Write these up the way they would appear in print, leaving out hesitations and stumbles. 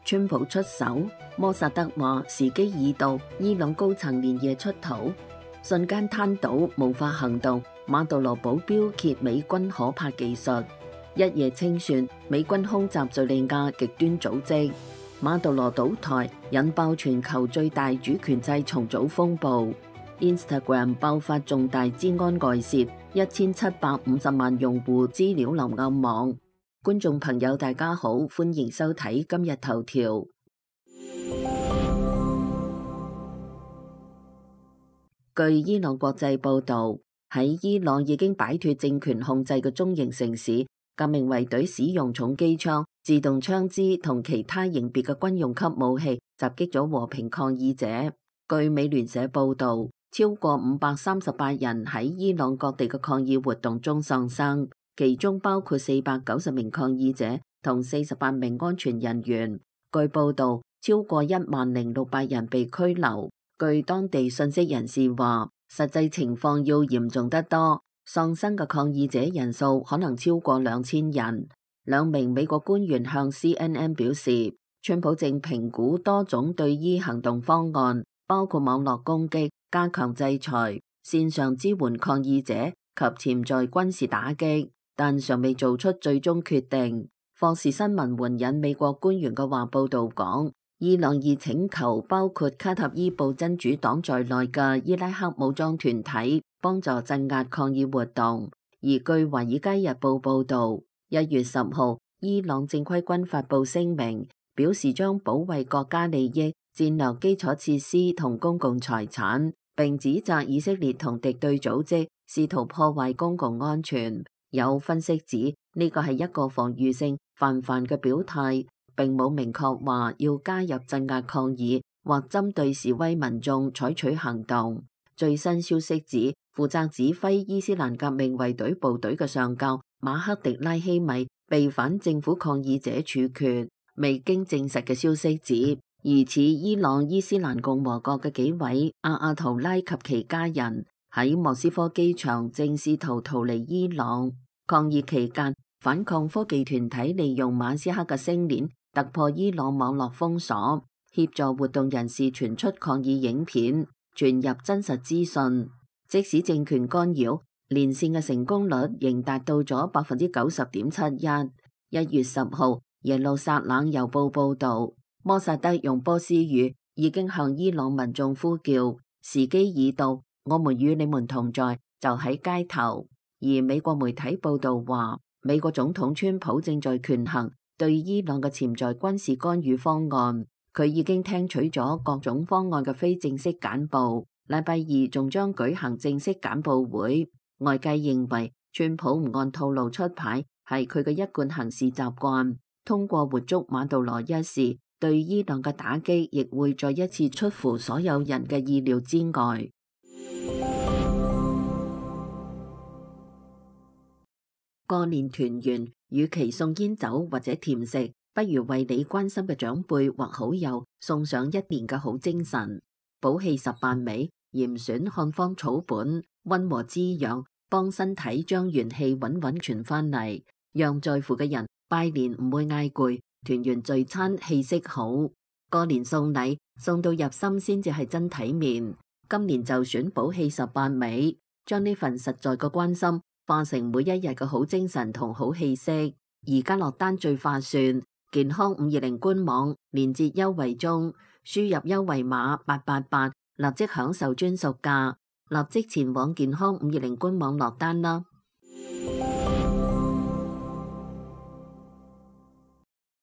川普出手，摩薩德話時機已到，伊朗高層連夜出逃，瞬間攤倒，無法行動。馬杜羅保鏢揭美軍可怕技術，一夜清算美軍空襲敘利亞極端組織。馬杜羅倒台，引爆全球最大主權制重組風暴。Instagram 爆發重大資安外泄，1750萬用戶資料流暗網。觀眾朋友大家好，歡迎收睇今日頭條。據伊朗國際報道，喺伊朗已經擺脫政權控制嘅中型城市，革命衛隊使用重機槍、自動槍支同其他型別嘅軍用級武器襲擊咗和平抗議者。據美聯社報道，超過538人喺伊朗各地嘅抗議活動中喪生，其中包括490名抗議者同48名安全人員。據報道，超過10,600人被拘留。據當地信息人士話，實際情況要嚴重得多，喪生嘅抗議者人數可能超過2000人。兩名美國官員向 CNN 表示，川普正評估多種對伊行動方案，包括網絡攻擊、加強制裁、線上支援抗議者及潛在軍事打擊，但尚未做出最終決定。霍士新聞援引美國官員嘅話報道講，伊朗已請求包括卡塔伊布真主黨在內嘅伊拉克武裝團體幫助鎮壓抗議活動。而據華爾街日報報道，1月10號，伊朗正規軍發布聲明，表示將保衛國家利益、戰略基礎設施同公共財產，並指責以色列同敵對組織試圖破壞公共安全。有分析指呢個係一個防禦性泛泛嘅表態，並冇明確話要加入鎮壓抗議或針對示威民眾採取行動。最新消息指，負責指揮伊斯蘭革命衛隊部隊嘅上校馬克迪拉希米被反政府抗議者處決。未經證實嘅消息指，疑似伊朗伊斯蘭共和國嘅幾位阿圖拉及其家人喺莫斯科機場正試圖逃離伊朗。抗議期間，反抗科技團體利用馬斯克嘅星鏈突破伊朗網絡封鎖，協助活動人士傳出抗議影片，傳入真實資訊。即使政權干擾，連線嘅成功率仍達到咗90.71%。1月10號，耶路撒冷郵報報道，摩薩德用波斯語已經向伊朗民眾呼叫，時機已到，我們與你們同在，就喺街頭。而美國媒體報道話，美國總統川普正在權衡對伊朗嘅潛在軍事干預方案，佢已經聽取咗各種方案嘅非正式簡報，禮拜二仲將舉行正式簡報會。外界認為川普唔按套路出牌係佢嘅一貫行事習慣，通過活捉馬杜羅一事，對伊朗嘅打擊亦會再一次出乎所有人嘅意料之外。過年團圓，與其送煙酒或者甜食，不如為你關心嘅長輩或好友送上一年嘅好精神。補氣18味，嚴選漢方草本，溫和滋養，幫身體將元氣穩穩傳返嚟，讓在乎嘅人拜年唔會嗌攰，團圓聚餐氣息好。過年送禮，送到入心先至係真體面。今年就選補氣18味，將呢份實在嘅關心化成每一日嘅好精神同好氣息。而家落單最划算，健康520官網連結優惠中，輸入優惠碼888，立即享受專屬價，立即前往健康520官網落單啦。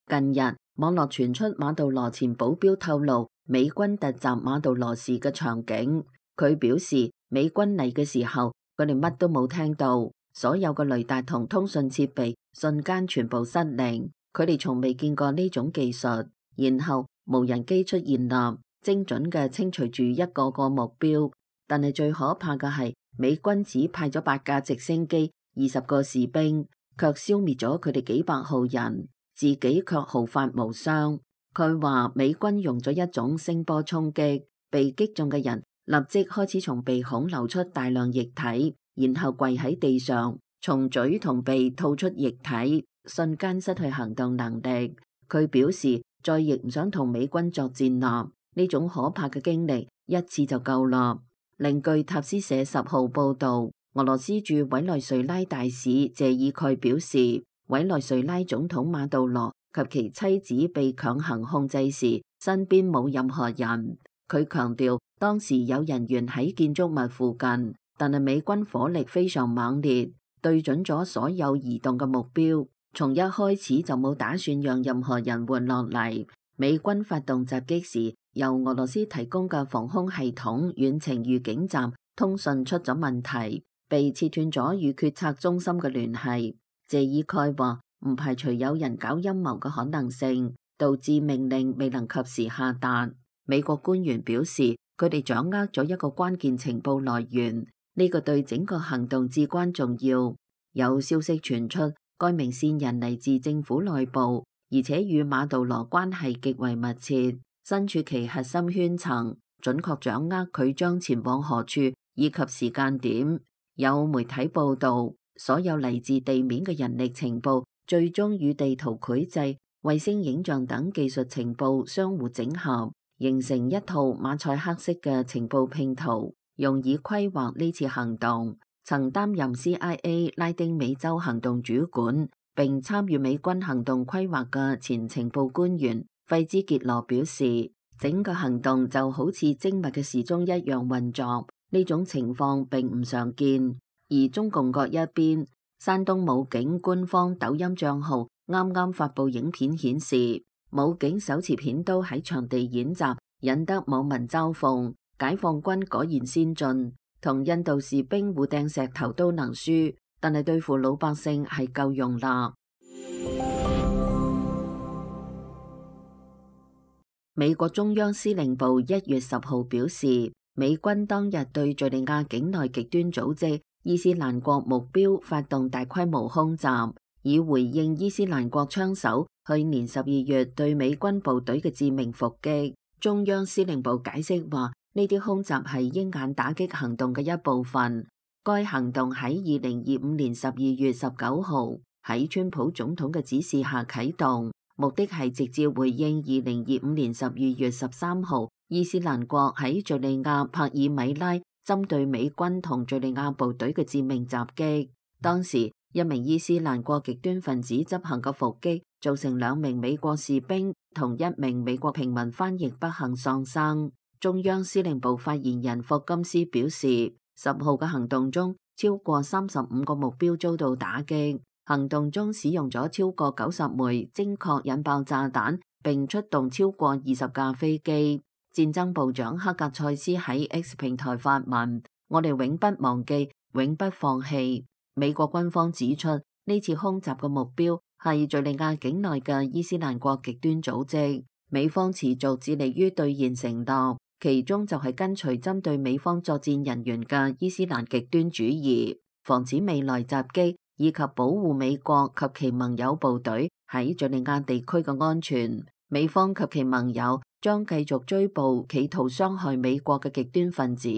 近日網絡傳出馬杜羅前保鏢透露美軍突襲馬杜羅時嘅場景，佢表示美軍嚟嘅時候佢哋乜都冇聽到，所有嘅雷達同通訊設備瞬間全部失靈，佢哋從未見過呢種技術。然後無人機出現啦，精準嘅清除住一個個目標。但係最可怕嘅係美軍只派咗8架直升機、20個士兵，卻消滅咗佢哋幾百號人，自己卻毫髮無傷。佢話美軍用咗一種聲波衝擊，被擊中嘅人立即開始從鼻孔流出大量液體，然後跪喺地上，從嘴同鼻吐出液體，瞬間失去行動能力。佢表示再亦唔想同美軍作戰啦。呢種可怕嘅經歷一次就夠啦。另據塔斯社10號報導，俄羅斯駐委內瑞拉大使謝爾蓋表示，委內瑞拉總統馬杜羅及其妻子被強行控制時，身邊冇任何人。佢強調，當時有人員喺建築物附近，但係美軍火力非常猛烈，對準咗所有移動嘅目標，從一開始就冇打算讓任何人活落嚟。美軍發動襲擊時，由俄羅斯提供嘅防空系統遠程預警站通訊出咗問題，被切斷咗與決策中心嘅聯繫。謝爾蓋話唔排除有人搞陰謀嘅可能性，導致命令未能及時下達。美國官員表示，佢哋掌握咗一個關鍵情報來源，呢個對整個行動至關重要。有消息傳出，該名線人嚟自政府內部，而且與馬杜羅關係極為密切，身處其核心圈層，準確掌握佢將前往何處以及時間點。有媒體報道，所有嚟自地面嘅人力情報最終與地圖繪製、衛星影像等技術情報相互整合，形成一套馬賽克式嘅情報拼圖，用以規劃呢次行動。曾擔任 CIA 拉丁美洲行動主管並參與美軍行動規劃嘅前情報官員費茲傑羅表示，整個行動就好似精密嘅時鐘一樣運作，呢種情況並唔常見。而中共各一邊，山東武警官方抖音賬號啱啱發布影片顯示，武警手持片刀喺場地演習，引得網民嘲諷，解放軍果然先進，同印度士兵互掟石頭都能輸，但係對付老百姓係夠用啦。美國中央司令部1月10號表示，美軍當日對敘利亞境內極端組織伊斯蘭國目標發動大規模空襲，以回應伊斯蘭國槍手去年12月對美軍部隊嘅致命伏擊。中央司令部解釋話，呢啲空襲係鷹眼打擊行動嘅一部分。該行動喺2025年12月19號喺川普總統嘅指示下啟動，目的係直接回應2025年12月13號伊斯蘭國喺敘利亞帕爾米拉針對美軍同敘利亞部隊嘅致命襲擊。當時一名伊斯蘭國極端分子執行嘅伏擊，造成2名美國士兵同1名美國平民翻譯不幸喪生。中央司令部發言人霍金斯表示，10號嘅行動中，超過35個目標遭到打擊。行動中使用咗超過90枚精確引爆炸彈，並出動超過20架飛機。戰爭部長克格塞斯喺 X 平台發文：我哋永不忘記，永不放棄。美國軍方指出，呢次空襲嘅目標係敘利亞境內嘅伊斯蘭國極端組織。美方持續致力於兌現承諾，其中就係跟隨針對美方作戰人員嘅伊斯蘭極端主義，防止未來襲擊，以及保護美國及其盟友部隊喺敘利亞地區嘅安全。美方及其盟友將繼續追捕企圖傷害美國嘅極端分子。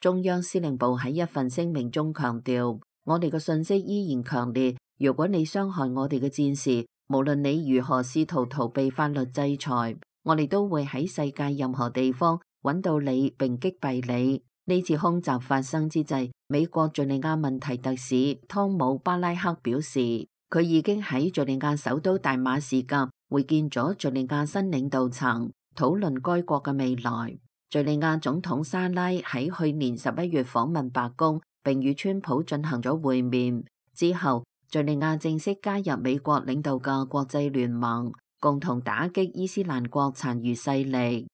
中央司令部喺一份聲明中強調，我哋嘅信息依然強烈，如果你傷害我哋嘅戰士，無論你如何試圖逃避法律制裁，我哋都會喺世界任何地方揾到你並擊斃你。呢次空襲發生之際，美國敘利亞問題特使湯姆巴拉克表示，佢已經喺敘利亞首都大馬士革會見咗敘利亞新領導層，討論該國嘅未來。敘利亞總統沙拉喺去年11月訪問白宮，並與川普進行咗會面之後，敘利亞正式加入美國領導嘅國際聯盟，共同打擊伊斯蘭國殘餘勢力。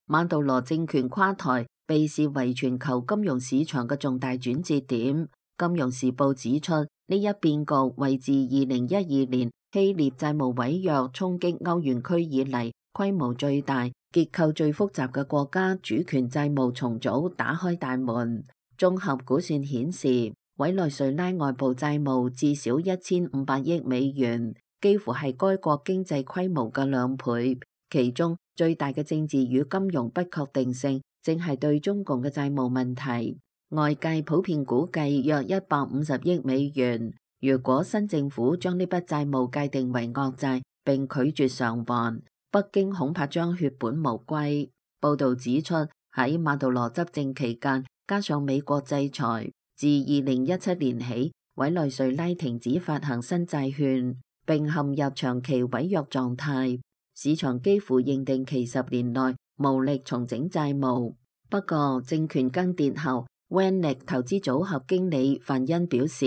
馬杜羅政權垮台被視為全球金融市場嘅重大轉折點。金融時報指出，呢一變局為自2012年希臘債務違約衝擊歐元區以嚟規模最大、結構最複雜嘅國家主權債務重組打開大門。綜合估算顯示，委內瑞拉外部債務至少1500億美元，幾乎係該國經濟規模嘅2倍。其中最大嘅政治與金融不確定性，正係對中共嘅債務問題。外界普遍估計約150億美元。如果新政府將呢筆債務界定為惡債並拒絕償還，北京恐怕將血本無歸。報道指出，喺馬杜羅執政期間，加上美國制裁，自2017年起，委內瑞拉停止發行新債券，並陷入長期違約狀態。市場幾乎認定其10年內無力重整債務。不過，政權更迭後，Vanik投資組合經理范恩表示，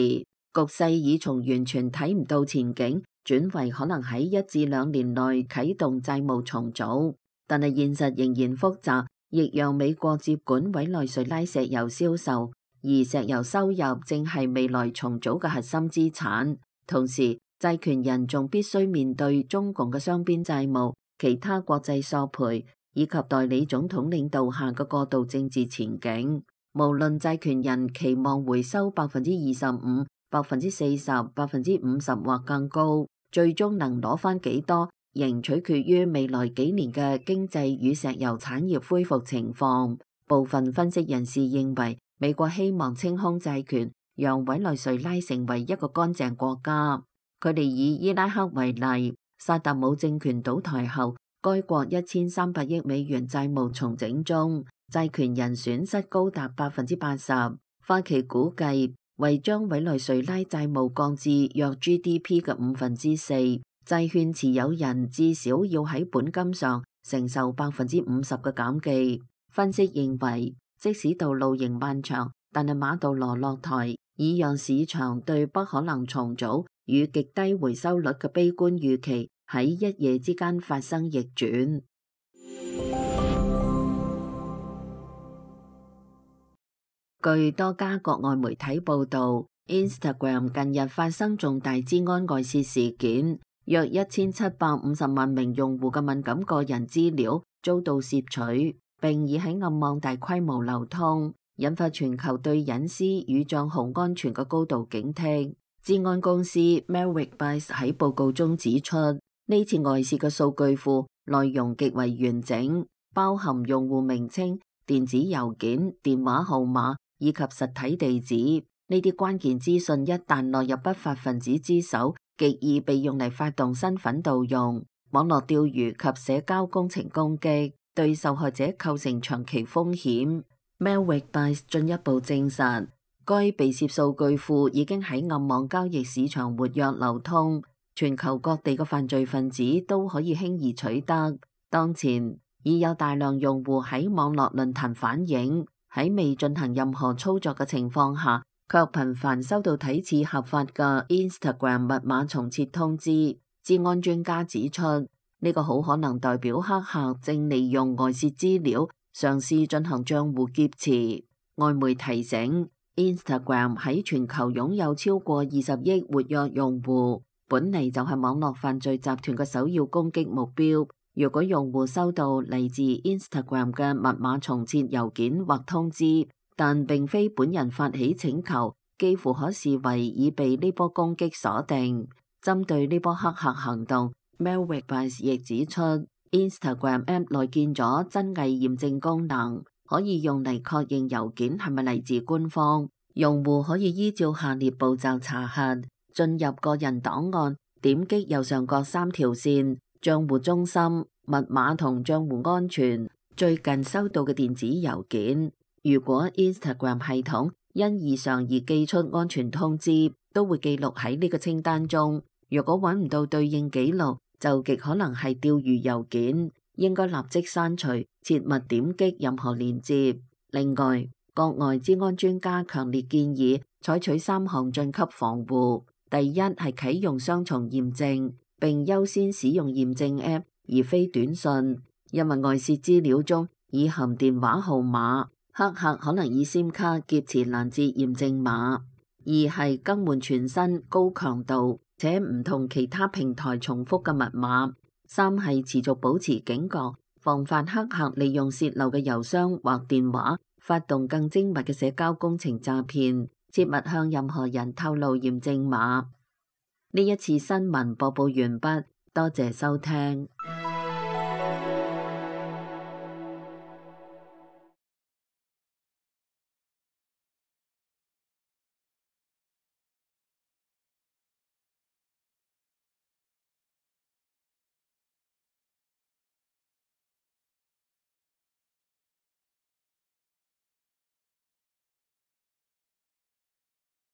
局勢已從完全睇唔到前景，轉為可能喺1至2年內啟動債務重組。但係現實仍然複雜，亦讓美國接管委內瑞拉石油銷售，而石油收入正係未來重組嘅核心資產。同時，債權人仲必須面對中共嘅雙邊債務、其他國際索賠以及代理總統領導下嘅過渡政治前景。無論債權人期望回收25%、40%、50%或更高，最終能攞返幾多，仍取決於未來幾年嘅經濟與石油產業恢復情況。部分分析人士認為，美國希望清空債權，讓委內瑞拉成為一個乾淨國家。佢哋以伊拉克為例，薩達姆政權倒台後，該國1300億美元債務重整中，債權人損失高達80%。花旗估計，為將委內瑞拉債務降至約 GDP 嘅4%，債券持有人至少要喺本金上承受50%嘅減記。分析認為，即使道路仍漫長，但係馬杜羅落台已讓市場對不可能重組與極低回收率嘅悲觀預期喺一夜之間發生逆轉。據多家國外媒體報道， Instagram 近日發生重大資安外泄事件，約1750萬名用戶嘅敏感個人資料遭到竊取，並已喺暗網大規模流通，引發全球對隱私與帳號安全嘅高度警惕。資安公司 Malwarebytes 喺報告中指出，呢次外泄嘅數據庫內容極為完整，包含用戶名稱、電子郵件、電話號碼以及實體地址。呢啲關鍵資訊一旦落入不法分子之手，極易被用嚟發動身份盜用、網絡釣魚及社交工程攻擊，對受害者構成長期風險。Malwarebytes 進一步證實，該被竊數據庫已經喺暗網交易市場活躍流通，全球各地嘅犯罪分子都可以輕易取得。當前已有大量用戶喺網絡論壇反映，喺未進行任何操作嘅情況下，卻頻繁收到睇似合法嘅 Instagram 密碼重設通知。資安專家指出，呢個好可能代表黑客正利用外泄資料嘗試進行賬戶劫持。外媒提醒，Instagram 喺全球擁有超過20億活躍用戶，本嚟就係網絡犯罪集團嘅首要攻擊目標。如果用戶收到嚟自 Instagram 嘅密碼重設郵件或通知，但並非本人發起請求，幾乎可視為已被呢波攻擊鎖定。針對呢波黑客行動， Malwarebytes 亦指出， Instagram App 內建咗真偽驗證功能，可以用嚟確認郵件係咪嚟自官方。用戶可以依照下列步驟查核：進入個人檔案，點擊右上角3條線，賬戶中心、密碼同賬戶安全、最近收到嘅電子郵件。如果 Instagram 系統因異常而寄出安全通知，都會記錄喺呢個清單中。如果揾唔到對應記錄，就極可能係釣魚郵件，應該立即刪除，切勿點擊任何鏈接。另外，國外資安專家強烈建議採取3項晉級防護。第一係啟用雙重驗證，並優先使用驗證 App 而非短信，因為外泄資料中已含電話號碼，黑客可能以 SIM 卡劫持攔截驗證碼。二係更換全新高強度且唔同其他平台重複嘅密碼。三係持續保持警覺，防範黑客利用洩漏嘅郵箱或電話發動更精密嘅社交工程詐騙，切勿向任何人透露驗證碼。呢一次新聞播報完畢，多謝收聽。